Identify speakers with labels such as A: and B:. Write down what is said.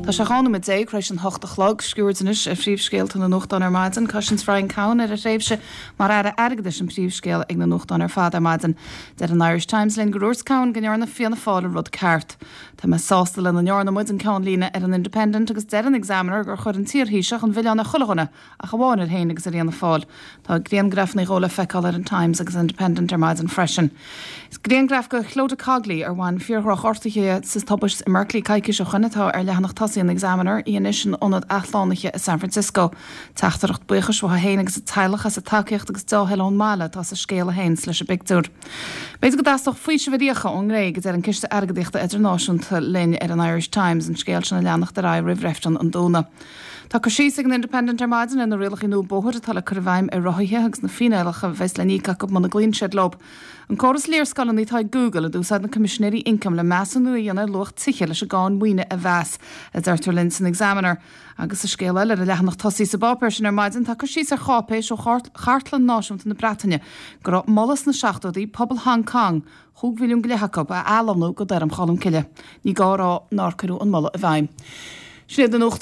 A: Tá sé 12 nóiméad tar éis an hocht a chlog. Sciuird anois ar phríomhscéalta na nuachtán ar maidin. Cosaint Brian Cowen ar a thréimhse mar Aire Airgeadais an príomhscéal ag na nuachtáin ar fad ar maidin. Deir an Irish Times linn gur dhúirt Cowen go ndearna Fianna Fáil an rud ceart. Tá mé sásta lena ndearna muid, an ceannlíne ar an Independent agus deir an Examiner gur chuir an t-iarThaoiseach an milleán ar chuile dhuine ach amháin air féin agus ar Fhianna Fáil. Tá griangrafanna dhó le feiceáil ar an Times agus Independent ar maidin freisin. Is griangraf de Clodagh Cogley, ar bhain fíordhrochghortuithe di sa tubaist i mBerkeley coicís ó shoin, atá ar leathanach tosaigh an Examiner, í anois in ionad athshlánaithe i San Francisco. Teachtaireacht buíochais uaithi féin agus a teaghlach as a tacaíocht agus deá-thoil ón mbaile atá sa scéal a théanns leis an bpictiúr. B'fhéidir go dteastódh faoiseamh ar fhiacha ón nGréig, a deir an Ciste Airgeadaíochta Idirnáisiúnta linn ar an Irish Times, an scéal sin ag leanacht ar aghaidh roimh reifreann an Domhnaigh. Tá cur síos ag an Independent ar maidin ar na rialacha nua bóthair atá le cur i bhfeidhm ar rothaithe agus na fíneálacha a bheas le n-íoc acu muna gcloíonn siad leo. An córas léarscáileanna atá ag Google a d'úsáid na Coimisinéirí Ioncaim le measúnú a dhéanamh ar luach tithe leis an gcáin mhaoine a mheas, a deirtear linn san Examiner. Agus sa scéal eile ar an leathanach tosaigh sa bpáipéar sin ar maidin tá cur síos ar cháipéis ó Chartlann Náisiúnta na Breataine go raibh moladh sna seachtóidí pobal Hong Kong, chúig mhilliún go leith acu, a athlonnú go Doireann Cholm Cille. Ní gá a rá nár cuireadh an moladh i bhfeidhm. Sin iad na nuachtáin.